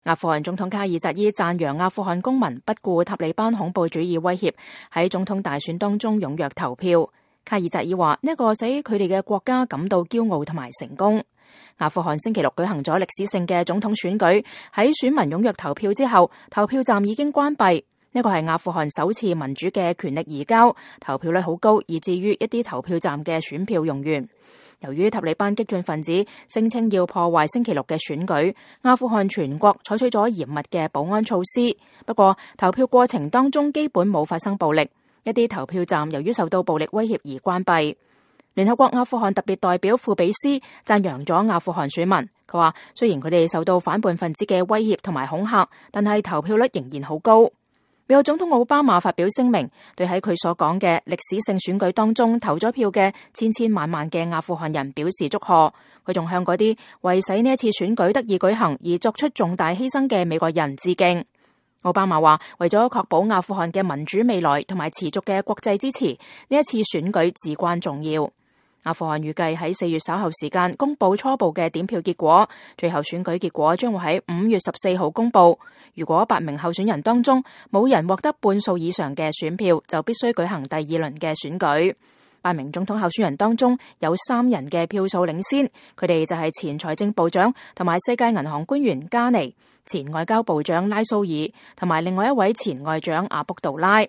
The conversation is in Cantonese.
阿富汗總統卡爾扎伊讚揚阿富汗公民不顧塔利班恐怖主義威脅，喺總統大選當中踴躍投票。卡爾扎伊話呢個使佢哋嘅國家感到驕傲同埋成功。阿富汗星期六舉行咗歷史性嘅總統選舉，喺選民踴躍投票之後，投票站已經關閉。呢個係阿富汗首次民主嘅權力移交，投票率好高，以至於一啲投票站嘅選票用完。由於塔利班激進分子聲稱要破壞星期六嘅選舉，阿富汗全國採取咗嚴密嘅保安措施。不過投票過程當中基本冇發生暴力，一啲投票站由於受到暴力威脅而關閉。聯合國阿富汗特別代表庫比斯讚揚咗阿富汗選民，佢話雖然佢哋受到反叛分子嘅威脅同埋恐嚇，但係投票率仍然好高。美國總統奧巴馬發表聲明，對喺佢所講嘅歷史性選舉當中投咗票嘅千千萬萬嘅阿富汗人表示祝賀。佢仲向嗰啲為使呢一次選舉得以舉行而作出重大犧牲嘅美國人致敬。奧巴馬話，為咗確保阿富汗嘅民主未來同埋持續嘅國際支持，呢一次選舉至關重要。阿富汗預計喺4月稍後時間公布初步嘅點票結果，最後選舉結果將會喺5月14號公布。如果8名候選人當中冇人獲得半數以上嘅選票，就必須舉行第二輪嘅選舉。8名總統候選人當中有3人嘅票數領先，佢哋就係前財政部長同埋世界銀行官員加尼、前外交部長拉蘇爾同埋另外一位前外長阿卜杜拉。